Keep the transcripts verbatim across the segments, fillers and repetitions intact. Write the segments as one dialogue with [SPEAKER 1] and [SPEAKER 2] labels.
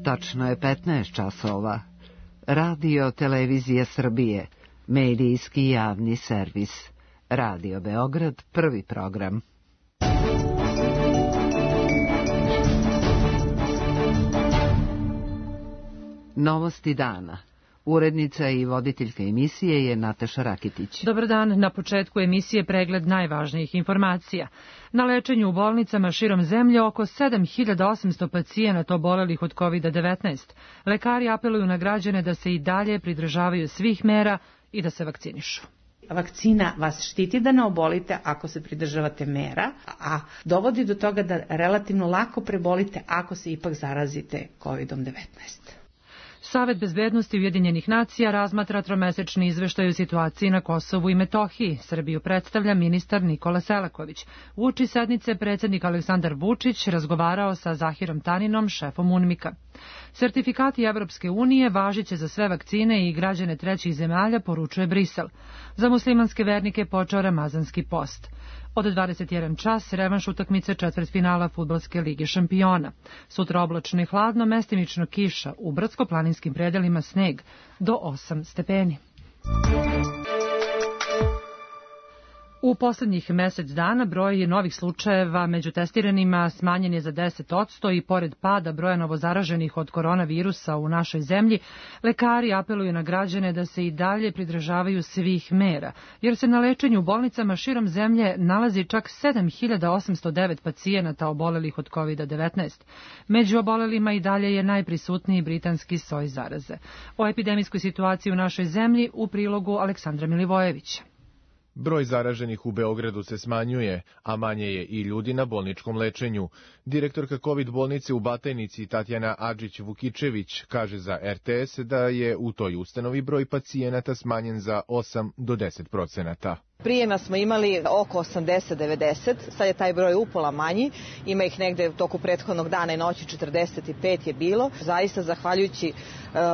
[SPEAKER 1] Tačno je petnaest časova. Radio Televizija Srbije, medijski javni servis. Radio Beograd, prvi program. Novosti dana. Urednica i voditeljka emisije je Nataša Rakitić.
[SPEAKER 2] Dobar dan, na početku emisije pregled najvažnijih informacija. Na lečenju u bolnicama širom zemlje oko sedam hiljada osamsto pacijenata obolelih od kovid devetnaest. Lekari apeluju na građane da se i dalje pridržavaju svih mera i da se vakcinišu.
[SPEAKER 3] Vakcina vas štiti da ne obolite ako se pridržavate mera, a dovodi do toga da relativno lako prebolite ako se ipak zarazite kovid devetnaest.
[SPEAKER 2] Savet bezbednosti Ujedinjenih nacija razmatra tromesečni izveštaj o situaciji na Kosovu i Metohiji. Srbiju predstavlja ministar Nikola Selaković. Uoči sednice predsjednik Aleksandar Vučić razgovarao sa Zahirom Taninom, šefom UNMIK-a. Sertifikati Evropske unije važiće za sve vakcine i građane trećih zemalja, poručuje Brisel. Za muslimanske vernike počeo ramazanski post. Od dvadeset jedan čas revanš utakmice četvrtfinala Fudbalske lige šampiona. Sutra oblačno i hladno, mestimično kiša, u brdsko-planinskim predelima sneg do osam stepeni. U poslednjih mesec dana broj novih slučajeva među testiranima smanjen je za deset posto i pored pada broja novozaraženih od koronavirusa u našoj zemlji, lekari apeluju na građane da se i dalje pridržavaju svih mera, jer se na lečenju u bolnicama širom zemlje nalazi čak sedam hiljada osamsto devet pacijenata obolelih od kovid devetnaest. Među obolelima i dalje je najprisutniji britanski soj zaraze. O epidemijskoj situaciji u našoj zemlji u prilogu Aleksandra Milivojevića.
[SPEAKER 4] Broj zaraženih u Beogradu se smanjuje, a manje je i ljudi na bolničkom lečenju. Direktorka COVID bolnice u Batajnici Tatjana Adžić-Vukičević kaže za er te es da je u toj ustanovi broj pacijenata smanjen za osam do deset procenata.
[SPEAKER 5] Prijema smo imali oko osamdeset do devedeset, sad je taj broj upola manji, ima ih negde u toku prethodnog dana i noći četrdeset pet je bilo. Zaista zahvaljujući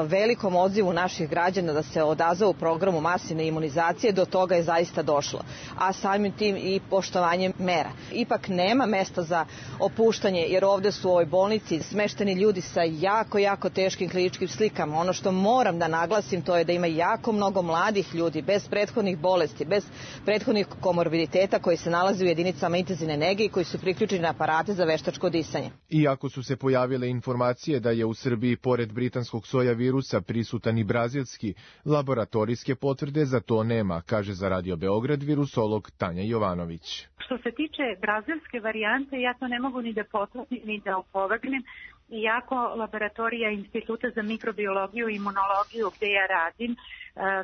[SPEAKER 5] velikom odzivu naših građana da se odazovu programu masivne imunizacije, do toga je zaista došlo, a samim tim i poštovanje mera. Ipak nema mesta za opuštanje, jer ovde su u ovoj bolnici smešteni ljudi sa jako, jako teškim kliničkim slikama. Ono što moram da naglasim to je da ima jako mnogo mladih ljudi bez prethodnih bolesti, bez prethodnih komorbiditeta koji se nalaze u jedinicama intenzivne nege i koji su priključeni na aparate za veštačko disanje.
[SPEAKER 4] Iako su se pojavile informacije da je u Srbiji pored britanskog soja virusa prisutan i brazilski, laboratorijske potvrde za to nema, kaže za Radio Beograd virusolog Tanja Jovanović.
[SPEAKER 6] Što se tiče brazilske varijante, ja to ne mogu ni da potvrdim ni da opovrgnem, iako laboratorija Instituta za mikrobiologiju i imunologiju gde ja radim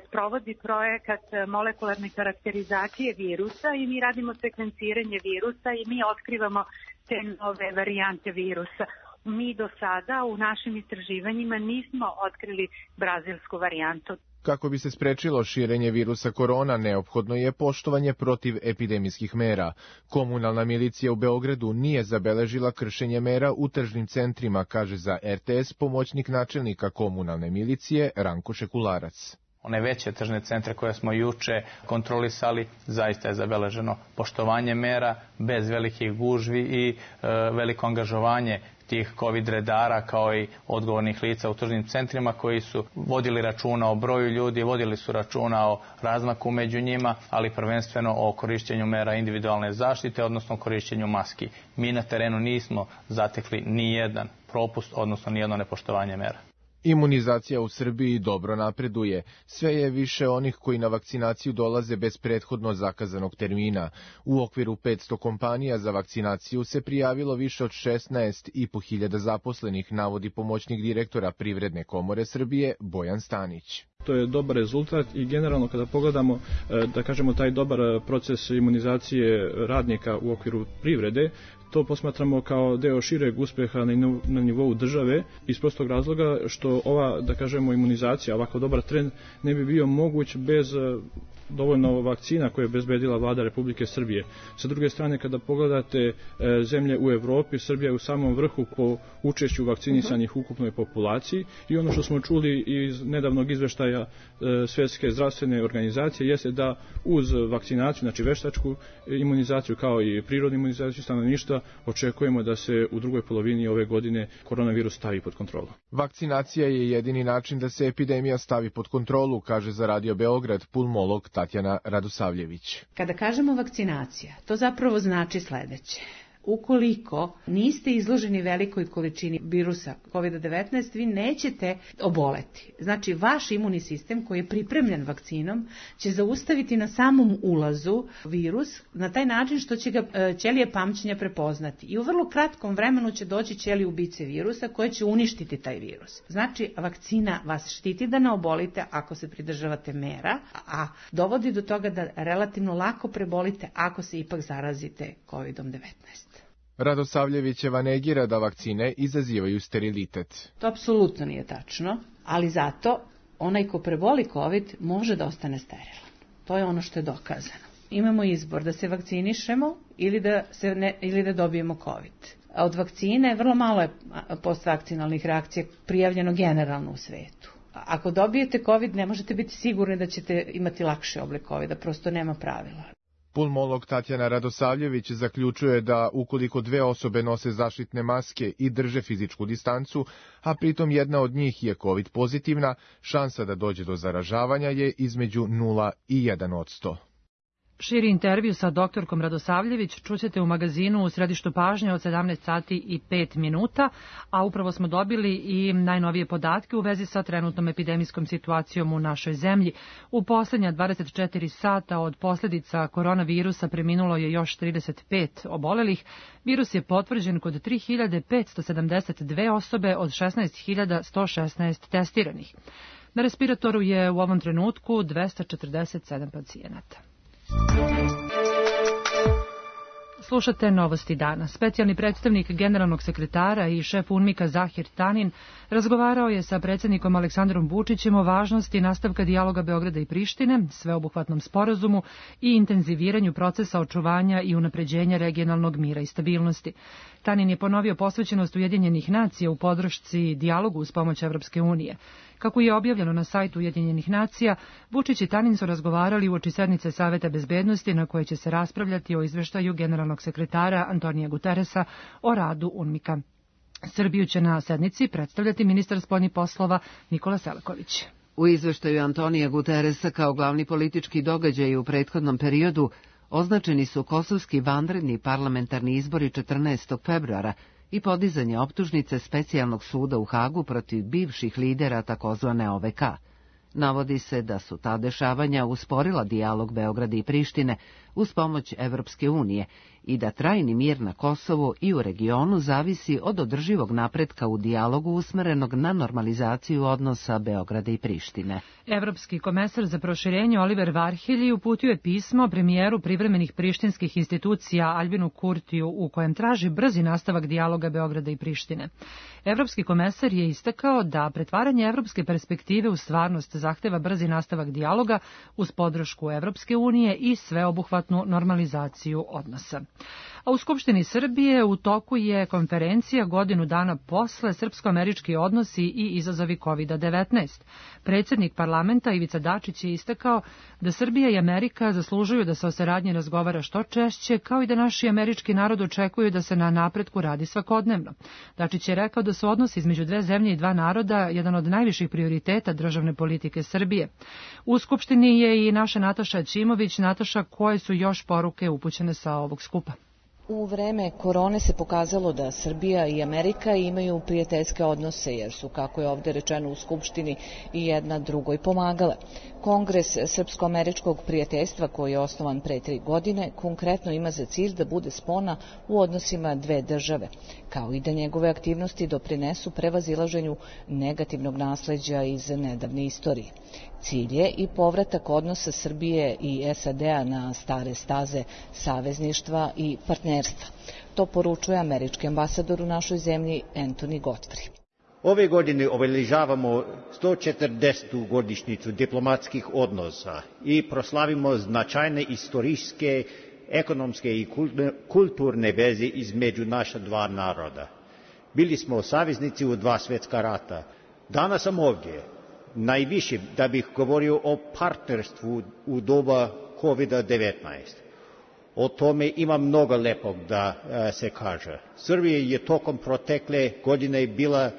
[SPEAKER 6] sprovodi projekat molekularne karakterizacije virusa i mi radimo sekvenciranje virusa i mi otkrivamo te nove varijante virusa. Mi do sada u našim istraživanjima nismo otkrili brazilsku varijantu.
[SPEAKER 4] Kako bi se sprečilo širenje virusa korona, neophodno je poštovanje protiv epidemijskih mera. Komunalna milicija u Beogradu nije zabeležila kršenje mera u tržnim centrima, kaže za er te es pomoćnik načelnika komunalne milicije Ranko Šekularac.
[SPEAKER 7] One veće tržne centre koje smo juče kontrolisali, zaista je zabeleženo poštovanje mera bez velikih gužvi i e, veliko angažovanje tih COVID redara kao i odgovornih lica u tržnim centrima koji su vodili računa o broju ljudi, vodili su računa o razmaku među njima, ali prvenstveno o korišćenju mera individualne zaštite, odnosno korišćenju maski. Mi na terenu nismo zatekli ni jedan propust, odnosno ni jedno nepoštovanje mera.
[SPEAKER 4] Imunizacija u Srbiji dobro napreduje. Sve je više onih koji na vakcinaciju dolaze bez prethodno zakazanog termina. U okviru petsto kompanija za vakcinaciju se prijavilo više od šesnaest i po hiljada zaposlenih, navodi pomoćnik direktora Privredne komore Srbije Bojan Stanić.
[SPEAKER 8] To je dobar rezultat i generalno kada pogledamo, da kažemo, taj dobar proces imunizacije radnika u okviru privrede, to posmatramo kao deo šireg uspeha na nivou države iz prostog razloga što ova, da kažemo, imunizacija, ovako dobar trend ne bi bio moguć bez dovoljno vakcina koje je obezbedila vlada Republike Srbije. Sa druge strane, kada pogledate zemlje u Evropi, Srbija je u samom vrhu po učešću vakcinisanih u ukupnoj populaciji i ono što smo čuli iz nedavnog izveštaja Svjetske zdravstvene organizacije jeste da uz vakcinaciju, znači veštačku imunizaciju kao i prirodnu imunizaciju stanovništva, očekujemo da se u drugoj polovini ove godine koronavirus stavi pod kontrolu.
[SPEAKER 4] Vakcinacija je jedini način da se epidemija stavi pod kontrolu, kaže za Radio Beograd pulmolog Tatjana Radosavljević.
[SPEAKER 3] Kada kažemo vakcinacija, to zapravo znači sledeće. Ukoliko niste izloženi velikoj količini virusa kovid devetnaest, vi nećete oboleti. Znači, vaš imunni sistem koji je pripremljen vakcinom će zaustaviti na samom ulazu virus na taj način što će ga ćelije pamćenja prepoznati. I u vrlo kratkom vremenu će doći ćelije ubice virusa koje će uništiti taj virus. Znači, vakcina vas štiti da ne obolite ako se pridržavate mera, a dovodi do toga da relativno lako prebolite ako se ipak zarazite kovid devetnaest.
[SPEAKER 4] Radosavljevićeva negira da vakcine izazivaju sterilitet.
[SPEAKER 3] To apsolutno nije tačno, ali zato onaj ko preboli COVID može da ostane sterilan. To je ono što je dokazano. Imamo izbor da se vakcinišemo ili da, se ne, ili da dobijemo COVID. A od vakcine vrlo malo je postvakcinalnih reakcija prijavljeno generalno u svetu. Ako dobijete COVID, ne možete biti sigurni da ćete imati lakši oblik COVID-a, prosto nema pravila.
[SPEAKER 4] Pulmolog Tatjana Radosavljević zaključuje da ukoliko dve osobe nose zaštitne maske i drže fizičku distancu, a pritom jedna od njih je COVID pozitivna, šansa da dođe do zaražavanja je između nula i jedan posto.
[SPEAKER 2] Širi intervju sa doktorkom Radosavljević čućete u magazinu U središtu pažnje od sedamnaest sati i pet minuta, a upravo smo dobili i najnovije podatke u vezi sa trenutnom epidemijskom situacijom u našoj zemlji. U poslednja dvadeset četiri sata od posljedica koronavirusa preminulo je još trideset pet obolelih. Virus je potvrđen kod tri hiljade petsto sedamdeset dve osobe od šesnaest hiljada sto šesnaest testiranih. Na respiratoru je u ovom trenutku dvesta četrdeset sedam pacijenata. Slušate Novosti dana. Specijalni predstavnik generalnog sekretara i šef UNMIK-a Zahir Tanin razgovarao je sa predsjednikom Aleksandrom Vučićem o važnosti nastavka dijaloga Beograda i Prištine, sveobuhvatnom sporazumu i intenziviranju procesa očuvanja i unapređenja regionalnog mira i stabilnosti. Tanin je ponovio posvećenost Ujedinjenih nacija u podršci dijalogu uz pomoć Evropske unije. Kako je objavljeno na sajtu Ujedinjenih nacija, Vučić i Tanin su razgovarali uoči sednice Saveta bezbednosti na kojoj će se raspravljati o izveštaju generalnog sekretara Antonija Guteresa o radu UNMIK-a. Srbiju će na sednici predstavljati ministar spoljnih poslova Nikola Selaković.
[SPEAKER 1] U izveštaju Antonija Guteresa kao glavni politički događaj u prethodnom periodu označeni su kosovski vanredni parlamentarni izbori četrnaestog februara i podizanje optužnice specijalnog suda u Hagu protiv bivših lidera takozvane O V K. Navodi se da su ta dešavanja usporila dijalog Beograda i Prištine uz pomoć Evropske unije i da trajni mir na Kosovu i u regionu zavisi od održivog napretka u dijalogu usmerenog na normalizaciju odnosa Beograda i Prištine.
[SPEAKER 2] Evropski komesar za proširenje Oliver Varhelji uputio je pismo premijeru privremenih prištinskih institucija Albinu Kurtiju u kojem traži brzi nastavak dijaloga Beograda i Prištine. Evropski komesar je istakao da pretvaranje evropske perspektive u stvarnost zahteva brzi nastavak dijaloga uz podršku Evropske unije i sveobuhvatnu normalizaciju odnosa. A u Skupštini Srbije u toku je konferencija godinu dana posle srpsko-američki odnosi i izazovi kovid devetnaest. Predsjednik parlamenta Ivica Dačić je istakao da Srbija i Amerika zaslužuju da se o saradnji razgovara što češće, kao i da naši američki narod očekuju da se na napretku radi svakodnevno. Dačić je rekao da su odnosi između dve zemlje i dva naroda jedan od najviših prioriteta državne politike Srbije. U Skupštini je i naša Nataša Ćimović. Nataša, koje su još poruke upućene sa ovog skupa?
[SPEAKER 9] U vreme korone se pokazalo da Srbija i Amerika imaju prijateljske odnose, jer su, kako je ovde rečeno u Skupštini, i jedna drugoj pomagale. Kongres Srpsko-američkog prijateljstva, koji je osnovan pre tri godine, konkretno ima za cilj da bude spona u odnosima dve države, kao i da njegove aktivnosti doprinesu prevazilaženju negativnog nasleđa iz nedavne istorije. Cilj je i povratak odnosa Srbije i S A D-a na stare staze savezništva i partnerstva. To poručuje američki ambasador u našoj zemlji Anthony Godfrey.
[SPEAKER 10] Ove godine obeležavamo sto četrdesetu godišnjicu diplomatskih odnosa i proslavimo značajne istorijske, ekonomske i kulturne veze između naša dva naroda. Bili smo saveznici u dva svjetska rata. Danas sam ovdje najviše da bih govorio o partnerstvu u doba kovid devetnaest. O tome ima mnogo lepog da se kaže. Srbija je tokom protekle godine bila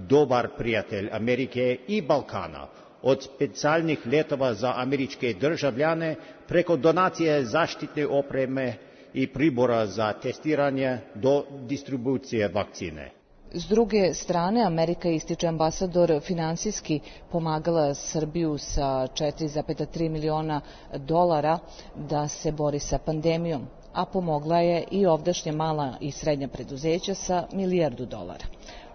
[SPEAKER 10] dobar prijatelj Amerike i Balkana, od specijalnih letova za američke državljane preko donacije zaštitne opreme i pribora za testiranje do distribucije vakcine.
[SPEAKER 9] S druge strane, Amerika, ističe ambasador, finansijski pomagala Srbiju sa četiri zarez tri miliona dolara da se bori sa pandemijom, a pomogla je i ovdašnja mala i srednja preduzeća sa milijardu dolara.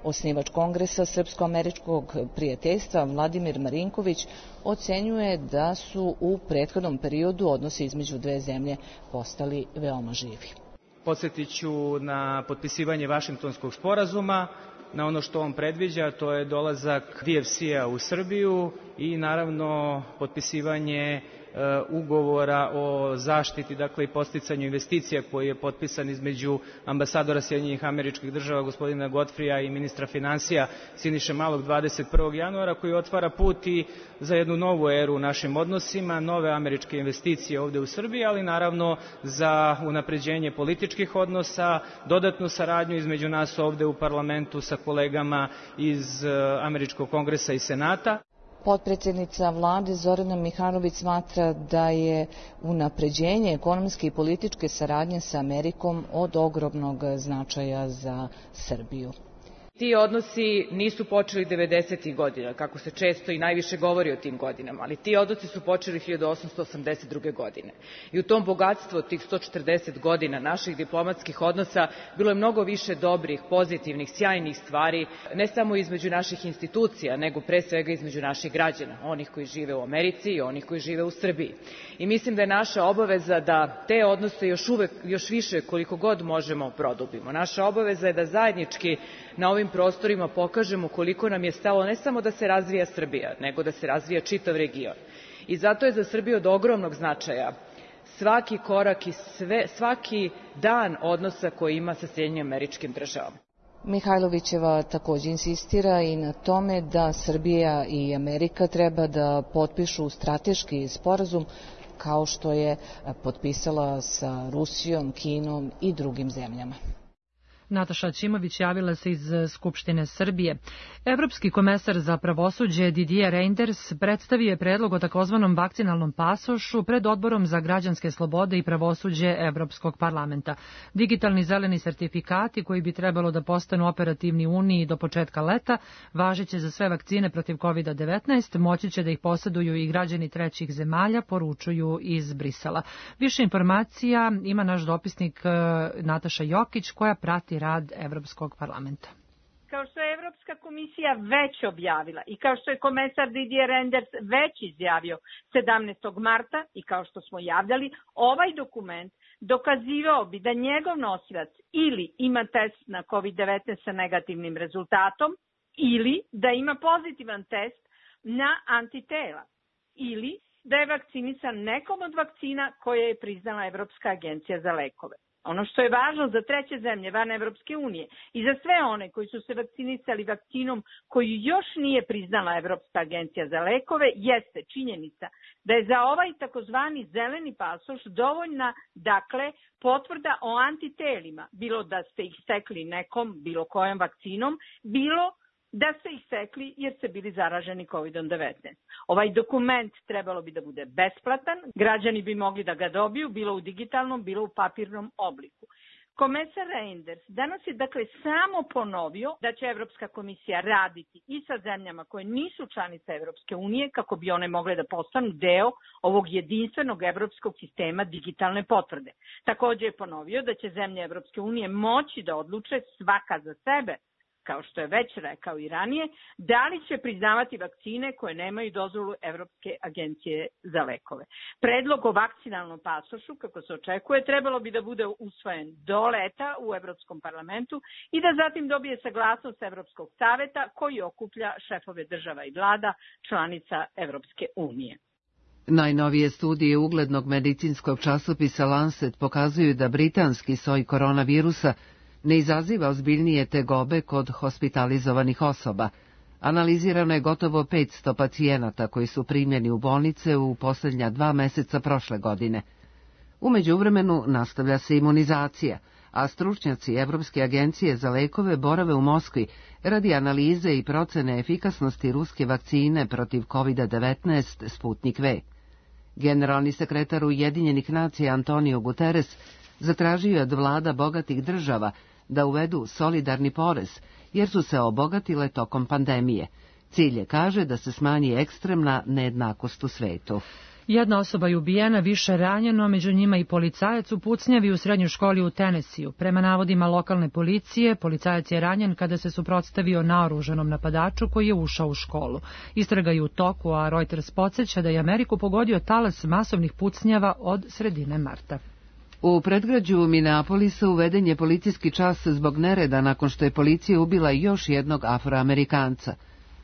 [SPEAKER 9] Osnivač Kongresa Srpsko-američkog prijateljstva Vladimir Marinković ocenjuje da su u prethodnom periodu odnosi između dve zemlje postali veoma živi.
[SPEAKER 11] Podsjetit ću na potpisivanje Vašingtonskog sporazuma, na ono što on predviđa, to je dolazak D F C-a u Srbiju i naravno potpisivanje ugovora o zaštiti, dakle i podsticanju investicija koji je potpisan između ambasadora Sjedinjenih Američkih Država gospodina Godfrija i ministra finansija Siniše Malog dvadeset prvog januara, koji otvara put i za jednu novu eru u našim odnosima, nove američke investicije ovde u Srbiji, ali naravno za unapređenje političkih odnosa, dodatnu saradnju između nas ovde u parlamentu sa kolegama iz Američkog kongresa i Senata.
[SPEAKER 9] Potpredsjednica vlade Zorana Mihajlović smatra da je unapređenje ekonomske i političke saradnje sa Amerikom od ogromnog značaja za Srbiju.
[SPEAKER 12] Ti odnosi nisu počeli devedesetih godina, kako se često i najviše govori o tim godinama, ali ti odnosi su počeli hiljadu osamsto osamdeset druge. godine. I u tom bogatstvu tih sto četrdeset godina naših diplomatskih odnosa bilo je mnogo više dobrih, pozitivnih, sjajnih stvari, ne samo između naših institucija, nego pre svega između naših građana, onih koji žive u Americi i onih koji žive u Srbiji. I mislim da je naša obaveza da te odnose još uvek, još više koliko god možemo produbimo. Naša obaveza je da zajednički na ovim prostorima pokažemo koliko nam je stalo ne samo da se razvija Srbija, nego da se razvija čitav region. I zato je za Srbiju od ogromnog značaja svaki korak i sve, svaki dan odnosa koji ima sa Sjedinjenim Američkim Državama.
[SPEAKER 9] Mihajlovićeva također insistira i na tome da Srbija i Amerika treba da potpišu strateški sporazum kao što je potpisala sa Rusijom, Kinom i drugim zemljama.
[SPEAKER 2] Nataša Ćimović javila se iz Skupštine Srbije. Evropski komesar za pravosuđe Didier Reynders predstavio je predlog o takozvanom vakcinalnom pasošu pred Odborom za građanske slobode i pravosuđe Evropskog parlamenta. Digitalni zeleni sertifikati koji bi trebalo da postanu operativni u Uniji do početka leta, važeće za sve vakcine protiv kovid devetnaest, moći će da ih poseduju i građani trećih zemalja, poručuju iz Brisela. Više informacija ima naš dopisnik Nataša Jokić koja prati rad Evropskog parlamenta.
[SPEAKER 13] Kao što je Evropska komisija već objavila i kao što je komesar Didier Reynders već izjavio sedamnaestog marta i kao što smo javljali, ovaj dokument dokazivao bi da njegov nosilac ili ima test na kovid devetnaest sa negativnim rezultatom ili da ima pozitivan test na antitela ili da je vakcinisan nekom od vakcina koje je priznala Evropska agencija za lekove. Ono što je važno za treće zemlje van Evropske unije i za sve one koji su se vakcinisali vakcinom koju još nije priznala Evropska agencija za lekove jeste činjenica da je za ovaj takozvani zeleni pasoš dovoljna, dakle, potvrda o antitelima, bilo da ste ih stekli nekom, bilo kojom vakcinom, bilo da ste ih stekli jer ste bili zaraženi kovid devetnaest. Ovaj dokument trebalo bi da bude besplatan, građani bi mogli da ga dobiju, bilo u digitalnom, bilo u papirnom obliku. Komesar Reynders danas je dakle samo ponovio da će Evropska komisija raditi i sa zemljama koje nisu članice Evropske unije kako bi one mogle da postanu deo ovog jedinstvenog evropskog sistema digitalne potvrde. Također je ponovio da će zemlje Evropske unije moći da odluče svaka za sebe kao što je već rekao i ranije, da li će priznavati vakcine koje nemaju dozvolu Evropske agencije za lekove. Predlog o vakcinalnom pasošu, kako se očekuje, trebalo bi da bude usvojen do leta u Evropskom parlamentu i da zatim dobije saglasnost Evropskog saveta koji okuplja šefove država i vlada članica Evropske unije.
[SPEAKER 1] Najnovije studije uglednog medicinskog časopisa Lancet pokazuju da britanski soj koronavirusa ne izaziva ozbiljnije tegobe kod hospitalizovanih osoba. Analizirano je gotovo petsto pacijenata koji su primljeni u bolnice u posljednja dva meseca prošle godine. U međuvremenu nastavlja se imunizacija, a stručnjaci Evropske agencije za lekove borave u Moskvi radi analize i procene efikasnosti ruske vakcine protiv kovid devetnaest Sputnik V. Generalni sekretar Ujedinjenih nacija Antonio Guterres zatražio je od vlada bogatih država da uvedu solidarni porez, jer su se obogatile tokom pandemije. Cilj je, kaže, da se smanji ekstremna nejednakost u svetu.
[SPEAKER 2] Jedna osoba je ubijena, više ranjeno, među njima i policajac u pucnjavi u srednjoj školi u Tenesiju. Prema navodima lokalne policije, policajac je ranjen kada se suprotstavio naoružanom napadaču koji je ušao u školu. Istraga je u toku, a Reuters podsjeća da je Ameriku pogodio talas masovnih pucnjava od sredine marta.
[SPEAKER 1] U predgrađu Minneapolisa uveden je policijski čas zbog nereda nakon što je policija ubila još jednog Afroamerikanca.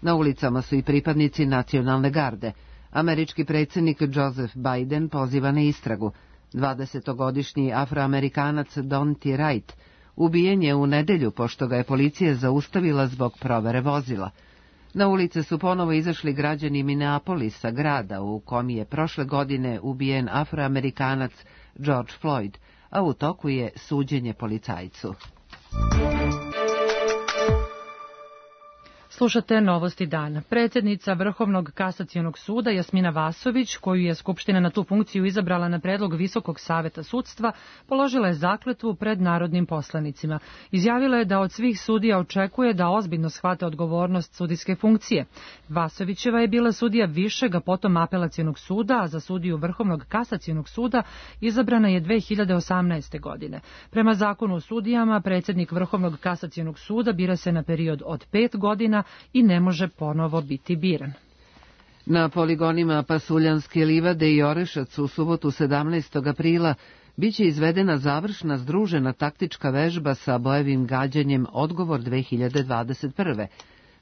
[SPEAKER 1] Na ulicama su i pripadnici nacionalne garde. Američki predsjednik Joseph Biden poziva na istragu. dvadesetogodišnji Afroamerikanac Donty Wright ubijen je u nedelju pošto ga je policija zaustavila zbog provere vozila. Na ulice su ponovo izašli građani Minneapolisa, grada u kom je prošle godine ubijen Afroamerikanac George Floyd, a u toku je suđenje policajcu.
[SPEAKER 2] Slušate novosti dana. Predsjednica Vrhovnog kasacionog suda Jasmina Vasović, koju je Skupština na tu funkciju izabrala na predlog Visokog saveta sudstva, položila je zakletvu pred narodnim poslanicima. Izjavila je da od svih sudija očekuje da ozbiljno shvate odgovornost sudijske funkcije. Vasovićeva je bila sudija Višeg, a potom Apelacionog suda, a za sudiju Vrhovnog kasacionog suda izabrana je dve hiljade osamnaeste. godine. Prema zakonu o sudijama, predsjednik Vrhovnog kasacionog suda bira se na period od pet godina i ne može ponovo biti biran.
[SPEAKER 1] Na poligonima Pasuljanske livade i Orešac u subotu sedamnaestog aprila biće izvedena završna združena taktička vežba sa bojevim gađanjem Odgovor dve hiljade dvadeset prve,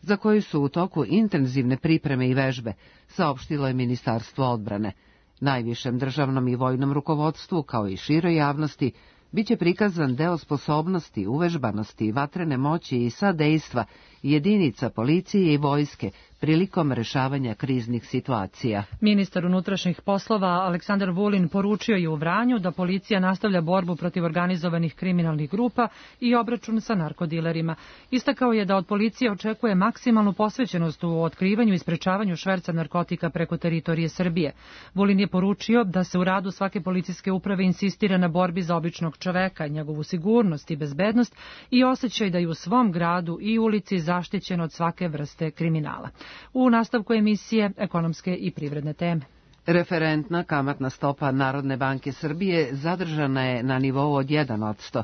[SPEAKER 1] za koju su u toku intenzivne pripreme i vežbe, saopštilo je Ministarstvo odbrane. Najvišem državnom i vojnom rukovodstvu, kao i široj javnosti, biće prikazan deo sposobnosti, uvežbanosti, vatrene moći i sadejstva jedinica policije i vojske prilikom rešavanja kriznih situacija.
[SPEAKER 2] Ministar unutrašnjih poslova Aleksandar Vulin poručio je u Vranju da policija nastavlja borbu protiv organizovanih kriminalnih grupa i obračun sa narkodilerima. Istakao je da od policije očekuje maksimalnu posvećenost u otkrivanju i sprečavanju šverca narkotika preko teritorije Srbije. Vulin je poručio da se u radu svake policijske uprave insistira na borbi za običnog čoveka, njegovu sigurnost i bezbednost i osjećaj da je u svom gradu i ulici zaštićen od svake vrste kriminala. U nastavku emisije ekonomske i privredne teme.
[SPEAKER 1] Referentna kamatna stopa Narodne banke Srbije zadržana je na nivou od jedan posto.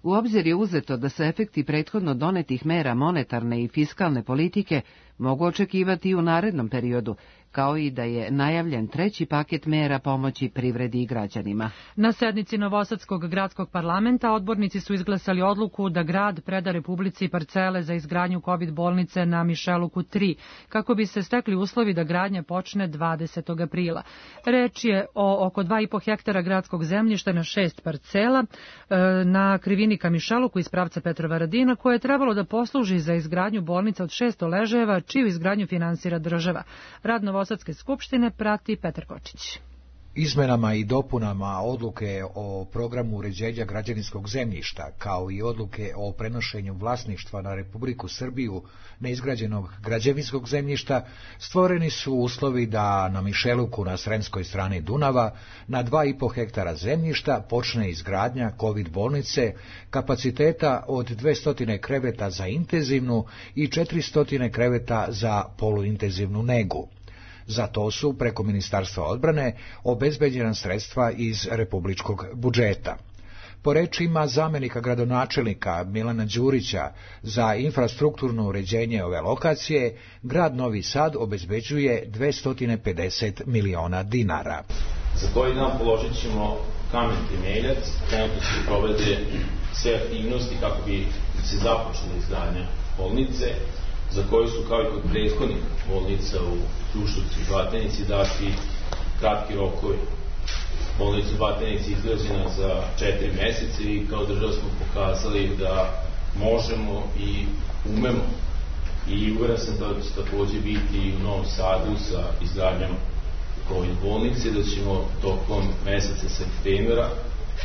[SPEAKER 1] U obzir je uzeto da se efekti prethodno donetih mera monetarne i fiskalne politike mogu očekivati i u narednom periodu, kao i da je najavljen treći paket mera pomoći privredi i građanima.
[SPEAKER 2] Na sednici Novosadskog gradskog parlamenta odbornici su izglasali odluku da grad preda Republici parcele za izgradnju kovid bolnice na Mišeluku tri, kako bi se stekli uslovi da gradnja počne dvadesetog aprila. Reč je o oko dva i po hektara gradskog zemljišta na šest parcela na krivini ka Mišeluku iz pravca Petrova Radina, koje je trebalo da posluži za izgradnju bolnica od šesto ležajeva, čiju izgradnju finansira država. Rad Novosadske skupštine prati Petar Kočić.
[SPEAKER 14] Izmenama i dopunama odluke o programu uređenja građevinskog zemljišta, kao i odluke o prenošenju vlasništva na Republiku Srbiju neizgrađenog građevinskog zemljišta, stvoreni su uslovi da na Mišeluku na sremskoj strani Dunava na dva i po hektara zemljišta počne izgradnja kovid bolnice kapaciteta od dvesta kreveta za intenzivnu i četiristo kreveta za poluintenzivnu negu. Za to su preko Ministarstva odbrane obezbeđena sredstva iz republičkog budžeta. Po rečima zamenika gradonačelnika Milana Đurića, za infrastrukturno uređenje ove lokacije, grad Novi Sad obezbeđuje dvesta pedeset miliona dinara.
[SPEAKER 15] Za koji dan položit ćemo kamen temeljac, trenutno se provede sve aktivnosti kako bi se započela izgradnja bolnice, za koju su kao i kod prethodnih bolnica u Kruševcu i Batajnici dati kratki rokovi. Bolnica u Batajnici je izgrađena za četiri meseca i kao država smo pokazali da možemo i umemo. I uveren sam da će takođe biti i u Novom Sadu sa izgradnjom COVID bolnice, da ćemo tokom meseca septembra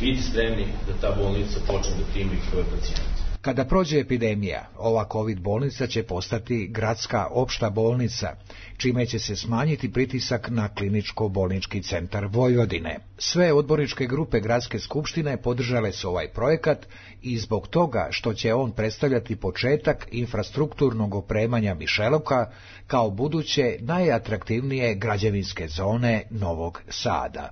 [SPEAKER 15] biti spremni da ta bolnica počne da primi prve pacijente.
[SPEAKER 14] Kada prođe epidemija, ova COVID bolnica će postati gradska opšta bolnica, čime će se smanjiti pritisak na kliničko-bolnički centar Vojvodine. Sve odborničke grupe Gradske skupštine podržale su ovaj projekat i zbog toga što će on predstavljati početak infrastrukturnog opremanja Mišeluka kao buduće najatraktivnije građevinske zone Novog Sada.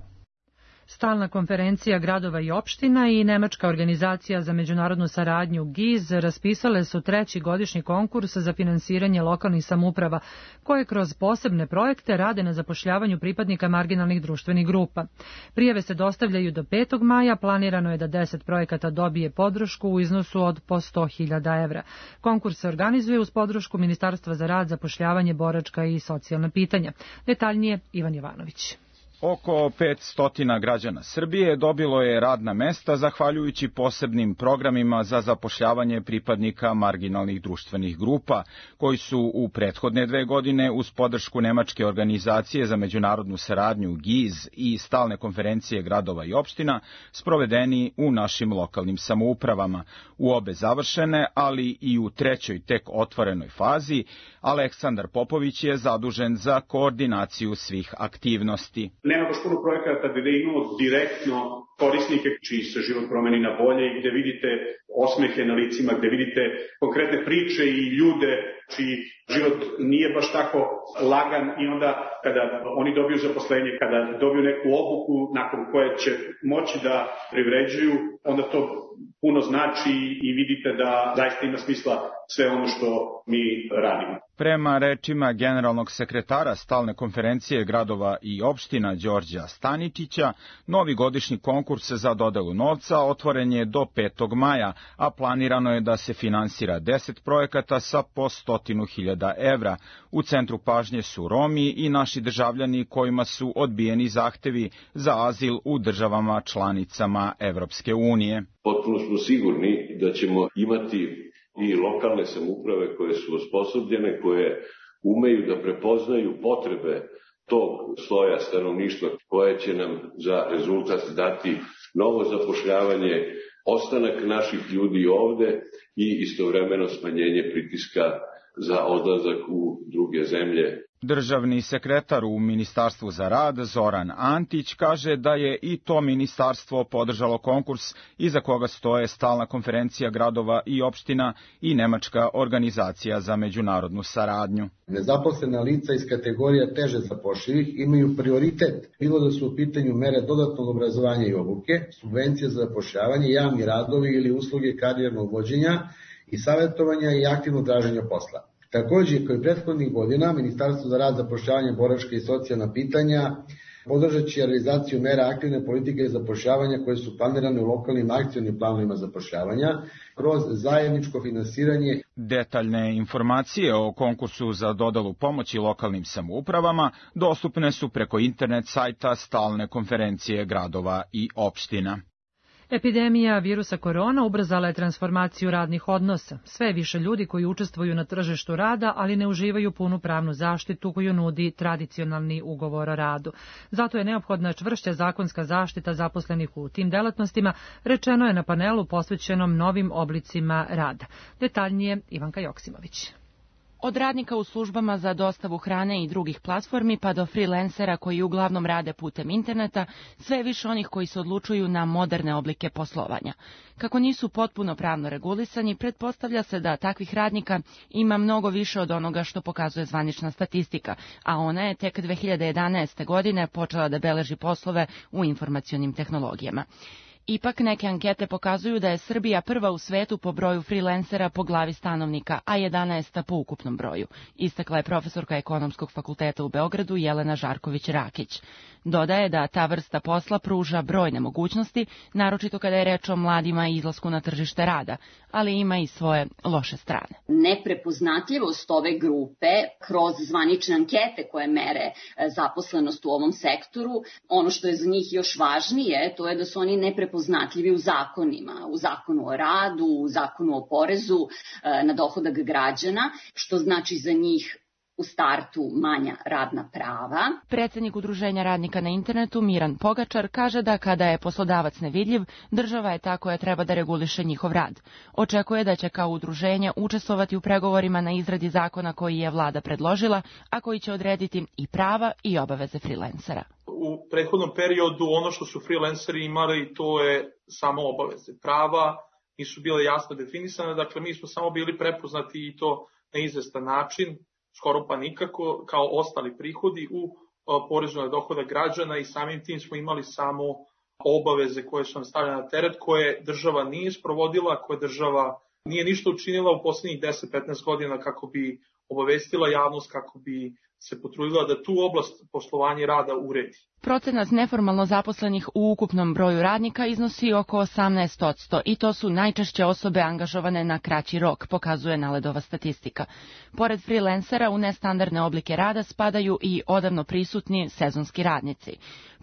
[SPEAKER 2] Stalna konferencija gradova i opština i Nemačka organizacija za međunarodnu saradnju G I Z raspisale su treći godišnji konkurs za finansiranje lokalnih samouprava, koje kroz posebne projekte rade na zapošljavanju pripadnika marginalnih društvenih grupa. Prijave se dostavljaju do petog maja, planirano je da deset projekata dobije podršku u iznosu od po sto hiljada evra. Konkurs se organizuje uz podršku Ministarstva za rad, zapošljavanje, boračka i socijalna pitanja. Detaljnije Ivan Jovanović.
[SPEAKER 16] Oko petsto građana Srbije dobilo je radna mesta zahvaljujući posebnim programima za zapošljavanje pripadnika marginalnih društvenih grupa, koji su u prethodne dve godine uz podršku Nemačke organizacije za međunarodnu saradnju G I Z i Stalne konferencije gradova i opština sprovedeni u našim lokalnim samoupravama. U obe završene, ali i u trećoj tek otvorenoj fazi, Aleksandar Popović je zadužen za koordinaciju svih aktivnosti.
[SPEAKER 17] Nema baš puno projekata gde imamo direktno korisnike čiji se život promeni na bolje i gde vidite osmehe na licima, gde vidite konkretne priče i ljude čiji život nije baš tako lagan i onda kada oni dobiju zaposlenje, kada dobiju neku obuku nakon koje će moći da privređuju, onda to puno znači i vidite da zaista ima smisla sve ono što mi radimo.
[SPEAKER 16] Prema rečima generalnog sekretara Stalne konferencije gradova i opština Đorđa Staničića, novi godišnji konkurs za dodelu novca otvoren je do petog maja, a planirano je da se finansira deset projekata sa po stotinu hiljada evra. U centru pažnje su Romi i naši državljani kojima su odbijeni zahtevi za azil u državama članicama Evropske unije.
[SPEAKER 18] Potpuno smo sigurni da ćemo imati i lokalne samouprave koje su osposobljene, koje umeju da prepoznaju potrebe tog sloja stanovništva koje će nam za rezultat dati novo zapošljavanje, ostanak naših ljudi ovde i istovremeno smanjenje pritiska za odlazak u druge zemlje.
[SPEAKER 16] Državni sekretar u Ministarstvu za rad Zoran Antić kaže da je i to ministarstvo podržalo konkurs iza koga stoje Stalna konferencija gradova i opština i Nemačka organizacija za međunarodnu saradnju.
[SPEAKER 19] Nezaposlena lica iz kategorija teže zapošljivih imaju prioritet, bilo da su u pitanju mere dodatnog obrazovanja i obuke, subvencije za zapošljavanje, javni radovi ili usluge karijernog vođenja i savjetovanja i aktivnog traženja posla. Takođe, kao i prethodnih godina, Ministarstvo za rad, zapošljavanje, boračka i socijalna pitanja podržat će realizaciju mera aktivne politike zapošljavanja koje su planirane u lokalnim akcionim planovima zapošljavanja kroz zajedničko finansiranje.
[SPEAKER 16] Detaljne informacije o konkursu za dodelu pomoći lokalnim samoupravama dostupne su preko internet sajta Stalne konferencije gradova i opština.
[SPEAKER 2] Epidemija virusa korona ubrzala je transformaciju radnih odnosa. Sve je više ljudi koji učestvuju na tržištu rada, ali ne uživaju punu pravnu zaštitu koju nudi tradicionalni ugovor o radu. Zato je neophodna čvršća zakonska zaštita zaposlenih u tim delatnostima, rečeno je na panelu posvećenom novim oblicima rada. Detaljnije Ivanka Joksimović.
[SPEAKER 20] Od radnika u službama za dostavu hrane i drugih platformi pa do freelancera koji uglavnom rade putem interneta, sve je više onih koji se odlučuju na moderne oblike poslovanja. Kako nisu potpuno pravno regulisani, pretpostavlja se da takvih radnika ima mnogo više od onoga što pokazuje zvanična statistika, a ona je tek dve hiljade jedanaeste. godine počela da beleži poslove u informacionim tehnologijama. Ipak neke ankete pokazuju da je Srbija prva u svetu po broju freelancera po glavi stanovnika, a jedanaesta po ukupnom broju, istakla je profesorka Ekonomskog fakulteta u Beogradu Jelena Žarković-Rakić. Dodaje da ta vrsta posla pruža brojne mogućnosti, naročito kada je reč o mladima i izlasku na tržište rada, ali ima i svoje loše strane.
[SPEAKER 21] Neprepoznatljivost ove grupe kroz zvanične ankete koje mere zaposlenost u ovom sektoru, ono što je za njih još važnije, to je da su oni neprepoznatljivi u zakonima, u zakonu o radu, u zakonu o porezu na dohodak građana, što znači za njih u startu manja radna prava.
[SPEAKER 20] Predsednik Udruženja radnika na internetu Miran Pogačar kaže da kada je poslodavac nevidljiv, država je ta koja treba da reguliše njihov rad. Očekuje da će kao udruženje učestvovati u pregovorima na izradi zakona koji je vlada predložila, a koji će odrediti i prava i obaveze freelancera.
[SPEAKER 22] U prethodnom periodu ono što su freelanceri imali, to je samo obaveze. Prava nisu bile jasno definisane, dakle mi smo samo bili prepoznati i to na izvestan način, skoro pa nikako, kao ostali prihodi u porezu na dohodak građana i samim tim smo imali samo obaveze koje su nam stavljene na teret, koje država nije sprovodila, koje država nije ništa učinila u poslednjih deset do petnaest godina kako bi obavestila javnost, kako bi se potrudila da tu oblast poslovanja i rada uredi.
[SPEAKER 20] Procenat neformalno zaposlenih u ukupnom broju radnika iznosi oko osamnaest posto i to su najčešće osobe angažovane na kraći rok, pokazuje Naledova statistika. Pored freelancera u nestandardne oblike rada spadaju i odavno prisutni sezonski radnici.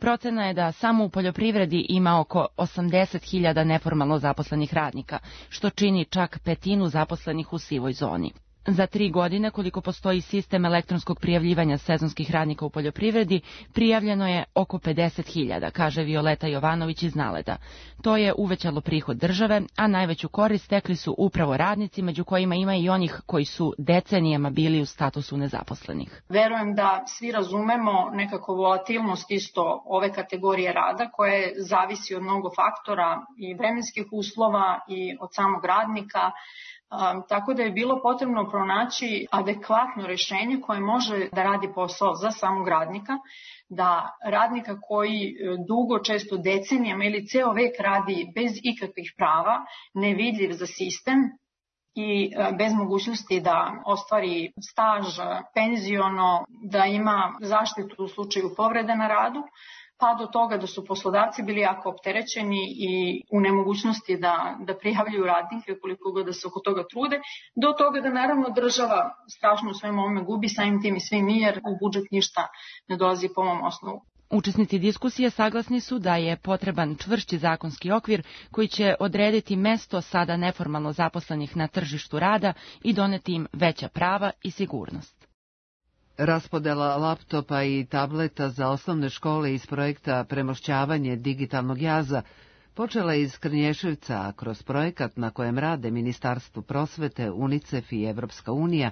[SPEAKER 20] Procena je da samo u poljoprivredi ima oko osamdeset hiljada neformalno zaposlenih radnika, što čini čak petinu zaposlenih u sivoj zoni. Za tri godine, koliko postoji sistem elektronskog prijavljivanja sezonskih radnika u poljoprivredi, prijavljeno je oko pedeset hiljada, kaže Violeta Jovanović iz Naleda. To je uvećalo prihod države, a najveću korist stekli su upravo radnici, među kojima ima i onih koji su decenijama bili u statusu nezaposlenih.
[SPEAKER 23] Verujem da svi razumemo nekako volatilnost isto ove kategorije rada, koje zavisi od mnogo faktora i vremenskih uslova i od samog radnika. Um, tako da je bilo potrebno pronaći adekvatno rešenje koje može da radi posao za samog radnika, da radnika koji dugo, često decenijama ili ceo vek radi bez ikakvih prava, nevidljiv za sistem i bez mogućnosti da ostvari staž, penziono, da ima zaštitu u slučaju povrede na radu, pa do toga da su poslodavci bili jako opterećeni i u nemogućnosti da, da prijavljuju radnike koliko god da se oko toga trude, do toga da naravno država strašno u svemu ovome gubi, samim tim i svi mi, jer u budžet ništa ne dolazi po ovom osnovu.
[SPEAKER 20] Učesnici diskusije saglasni su da je potreban čvršći zakonski okvir koji će odrediti mesto sada neformalno zaposlenih na tržištu rada i doneti im veća prava i sigurnost.
[SPEAKER 1] Raspodela laptopa i tableta za osnovne škole iz projekta Premošćavanje digitalnog jaza počela je iz Krnješevca, a kroz projekat na kojem rade Ministarstvo prosvete, UNICEF i Evropska unija,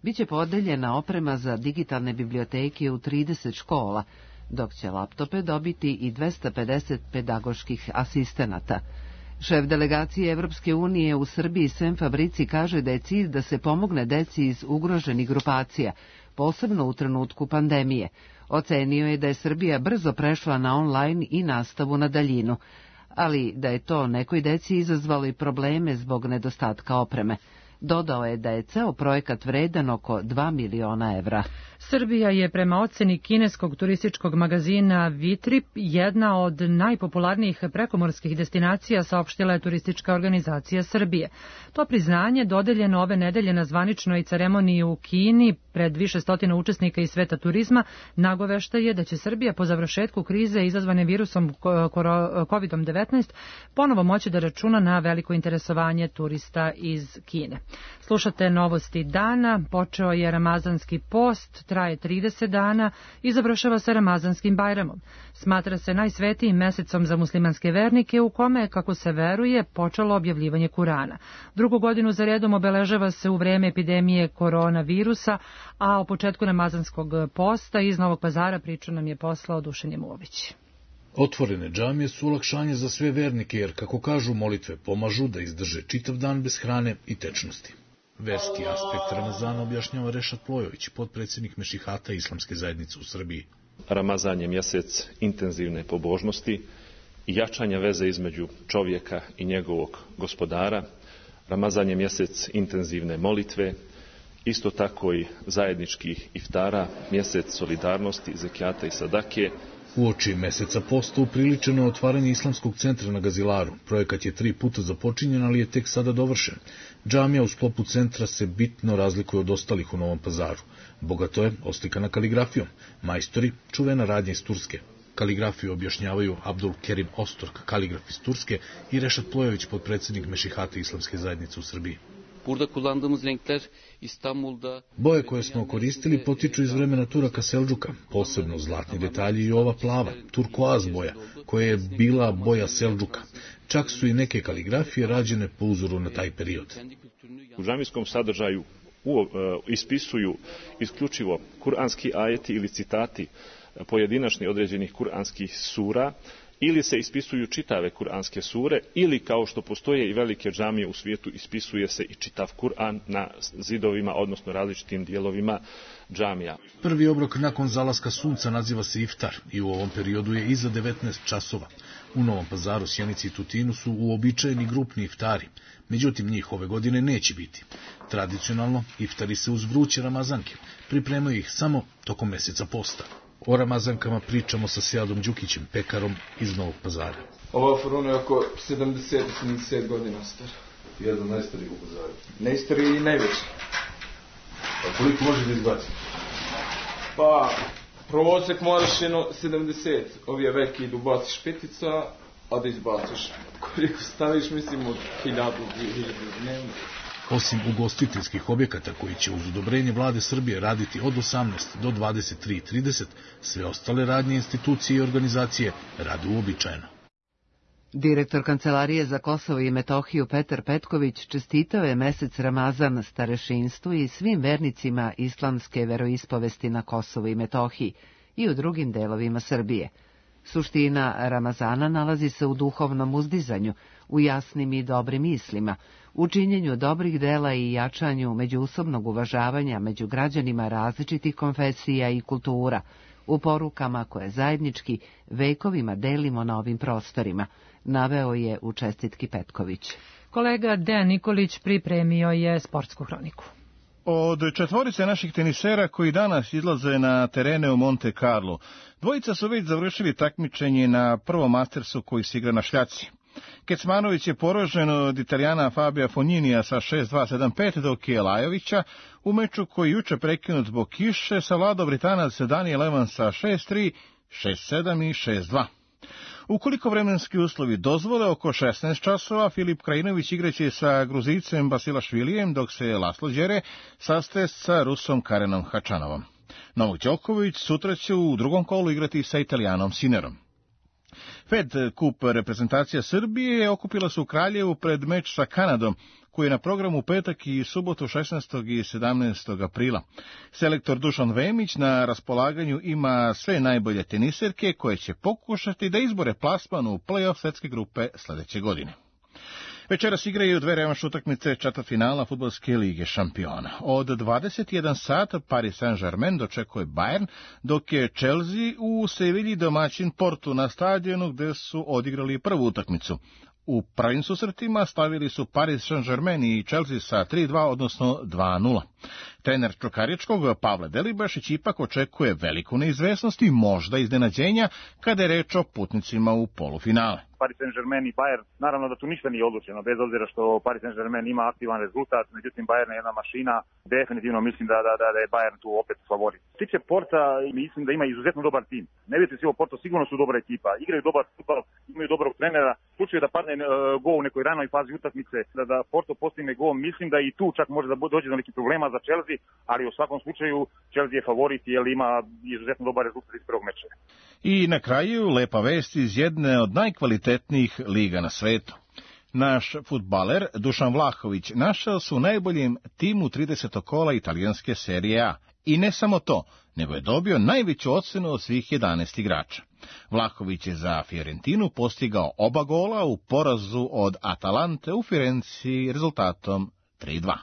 [SPEAKER 1] biće podeljena oprema za digitalne biblioteke u trideset škola, dok će laptope dobiti i dvesta pedeset pedagoških asistenata. Šef delegacije Evropske unije u Srbiji Sem Fabrici kaže da je cilj da se pomogne deci iz ugroženih grupacija, posebno u trenutku pandemije. Ocenio je da je Srbija brzo prešla na online i nastavu na daljinu, ali da je to nekoj deci izazvalo i probleme zbog nedostatka opreme. Dodao je da je ceo projekat vredan oko dva miliona evra.
[SPEAKER 2] Srbija je prema oceni kineskog turističkog magazina Vitrip jedna od najpopularnijih prekomorskih destinacija, saopštila je turistička organizacija Srbije. To priznanje dodeljeno ove nedelje na zvaničnoj ceremoniji u Kini pred više stotina učesnika iz sveta turizma nagovešta je da će Srbija po završetku krize izazvane virusom kovid devetnaest ponovo moći da računa na veliko interesovanje turista iz Kine. Slušate novosti dana, počeo je ramazanski post, traje trideset dana i završava se Ramazanskim Bajramom. Smatra se najsvetijim mesecom za muslimanske vernike u kome je, kako se veruje, počelo objavljivanje Kurana. Drugu godinu za redom obeležava se u vreme epidemije koronavirusa, a o početku Ramazanskog posta iz Novog Pazara priču nam je poslao Dušan Jemulović.
[SPEAKER 24] Otvorene džamije su olakšanje za sve vernike, jer, kako kažu, molitve pomažu da izdrže čitav dan bez hrane i tečnosti. Verski aspekt Ramazana objašnjava Rešat Plojović, potpredsjednik Mešihata Islamske zajednice u Srbiji.
[SPEAKER 25] Ramazan je mjesec intenzivne pobožnosti
[SPEAKER 5] i jačanja veze između čovjeka i njegovog gospodara. Ramazan je mjesec intenzivne molitve, isto tako i zajedničkih iftara, mjesec solidarnosti, zekijata i sadake.
[SPEAKER 24] Uoči meseca posta upriličeno je otvaranje Islamskog centra na Gazilaru. Projekat je tri puta započinjen, ali je tek sada dovršen. Džamija u sklopu centra se bitno razlikuje od ostalih u Novom Pazaru. Bogato je oslikana kaligrafijom. Majstori, čuvena radnja iz Turske. Kaligrafiju objašnjavaju Abdul Kerim Ostork, kaligraf iz Turske, i Rešat Plojević, potpredsjednik Mešihata Islamske zajednice u Srbiji.
[SPEAKER 6] Burada kullandığımız renkler İstanbul'da...
[SPEAKER 24] Boje koje smo koristili potiču iz vremena Turaka Selđuka, posebno zlatni detalji i ova plava, turkoaz boja, koja je bila boja Selđuka. Čak su i neke kaligrafije rađene po uzoru na taj period.
[SPEAKER 5] U džamijskom sadržaju u, uh, ispisuju isključivo kuranski ajeti ili citati pojedinačni određenih kuranskih sura, ili se ispisuju čitave kuranske sure, ili kao što postoje i velike džamije u svijetu, ispisuje se i čitav Kur'an na zidovima, odnosno različitim dijelovima džamija.
[SPEAKER 24] Prvi obrok nakon zalaska sunca naziva se iftar i u ovom periodu je iza devetnaest časova. U Novom Pazaru, Sjenici i Tutinu su uobičajeni grupni iftari, međutim njih ove godine neće biti. Tradicionalno, iftari se uz vruće ramazanke, pripremaju ih samo tokom mjeseca posta. O ramazankama pričamo sa Sejadom Đukićem, pekarom iz Novog Pazara.
[SPEAKER 7] Ova furuna je oko sedamdeset do sedamdeset godina stara.
[SPEAKER 8] Jedna od najstarijih u Pazaru.
[SPEAKER 7] Najstariji i najveći.
[SPEAKER 8] A koliko može da izbaci?
[SPEAKER 7] Pa, prosek moraš jedno sedamdeset. Ovi veki idu baciš petica, a da izbaciš. Koliko staviš, mislim, od hiljadu, dvije hiljade dnevno.
[SPEAKER 24] Osim ugostiteljskih objekata koji će uz odobrenje vlade Srbije raditi od osamnaest do dvadeset tri trideset, sve ostale radnje institucije i organizacije rade uobičajeno.
[SPEAKER 1] Direktor Kancelarije za Kosovo i Metohiju Petar Petković čestitao je mesec Ramazan starešinstvu i svim vernicima islamske veroispovesti na Kosovu i Metohiji i u drugim delovima Srbije. Suština Ramazana nalazi se u duhovnom uzdizanju, u jasnim i dobrim mislima, u činjenju dobrih dela i jačanju međusobnog uvažavanja među građanima različitih konfesija i kultura, u porukama koje zajednički vekovima delimo na ovim prostorima, naveo je u čestitki Petković.
[SPEAKER 2] Kolega Dejan Nikolić pripremio je sportsku hroniku.
[SPEAKER 25] Od četvorice naših tenisera koji danas izlaze na terene u Monte Carlo, dvojica su već završili takmičenje na prvom Mastersu koji se igra na šljaci. Kecmanović je poražen od Italijana Fabija Fogninija sa šest dva sedam pet, dok je Lajovića u meču koji juče prekinut zbog kiše savladao Britanac Daniel Evans sa šest tri, šest sedam i šest dva. Ukoliko vremenski uslovi dozvole, oko šesnaest časova Filip Krajinović igraće sa Gruzicem Basilašvilijem, dok se Laslo Đere sastaje sa Rusom Karenom Hačanovom. Novak Đoković sutra će u drugom kolu igrati sa Italijanom Sinerom. Fed Kup reprezentacija Srbije okupila se u Kraljevu pred meč sa Kanadom, koji je na programu petak i subotu šesnaestog i sedamnaestog aprila. Selektor Dušan Vemić na raspolaganju ima sve najbolje teniserke koje će pokušati da izbore plasman u play-off svetske grupe sledeće godine. Večeras igraju dve revanš utakmice četvrtfinala Fudbalske lige šampiona. Od dvadeset jedan sat Paris Saint-Germain dočekuje Bayern, dok je Chelsea u Sevilji domaćin Portu na stadionu gde su odigrali prvu utakmicu. U prvim susretima stavili su Paris Saint-Germain i Chelsea sa tri dva, odnosno dva nula. Trener Čukaričkog Pavle Delibašić ipak očekuje veliku neizvesnost i možda iznenađenja kada je reč o putnicima u polufinale.
[SPEAKER 26] Paris Saint-Germain i Bayern, naravno da tu ništa nije odlučeno, bez obzira što Paris Saint-Germain ima aktivan rezultat, međutim Bayern je jedna mašina, definitivno mislim da, da, da je Bayern tu opet favorit. Što se tiče Porta, mislim da ima izuzetno dobar tim. Ne vidite svi o Porto, sigurno su dobra ekipa, igraju dobar futbal, imaju dobrog trenera, u slučaju da padne uh, gol u nekoj ranoj fazi utakmice, da, da Porto postigne gol, mislim da i tu čak može da dođe do nekih problema za Chelsea, ali u svakom slučaju Chelsea je favorit jer ima izuzetno dobar rezultat iz prvog meča.
[SPEAKER 25] I na kraju lepa vest iz jedne od najkvalitetnijih liga na svetu. Naš fudbaler Dušan Vlahović našao se u najboljem timu tridesetog kola italijanske serije A. I ne samo to, nego je dobio najveću ocenu od svih jedanaest igrača. Vlahović je za Fiorentinu postigao oba gola u porazu od Atalante u Firenci rezultatom tri dva.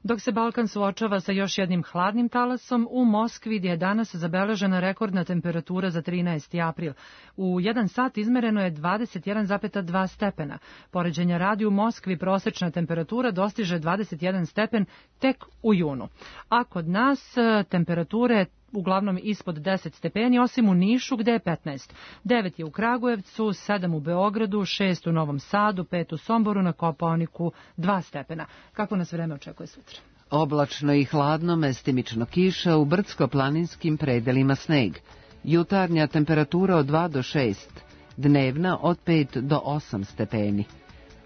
[SPEAKER 2] Dok se Balkan suočava sa još jednim hladnim talasom, u Moskvi gdje je danas zabeležena rekordna temperatura za trinaesti april. U jedan sat izmereno je dvadeset jedan zarez dva stepena. Poređenja radi u Moskvi prosečna temperatura dostiže dvadeset jedan stepen tek u junu. A kod nas temperature uglavnom ispod deset stepeni, osim u Nišu gde je petnaest. devet je u Kragujevcu, sedam u Beogradu, šest u Novom Sadu, pet u Somboru, na Kopaoniku dva stepena. Kako nas vreme očekuje sutra?
[SPEAKER 1] Oblačno i hladno, mestimično kiša, u brdsko-planinskim predelima sneg. Jutarnja temperatura od dva do šest, dnevna od pet do osam stepeni.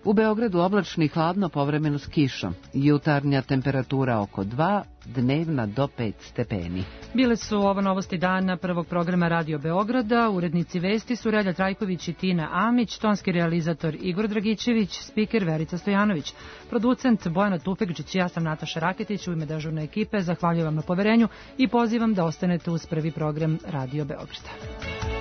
[SPEAKER 1] U Beogradu oblačno i hladno, povremeno s kišom. Jutarnja temperatura oko dva, dnevna do pet stepeni.
[SPEAKER 2] Bile su ovo novosti dana prvog programa Radio Beograda. Urednici vesti su Relja Trajković i Tina Amić, tonski realizator Igor Dragićević, spiker Verica Stojanović, producent Bojana Tufekđić i ja sam Nataša Raketić. U ime dežurne ekipe zahvaljujem vam na poverenju i pozivam da ostanete uz prvi program Radio Beograda.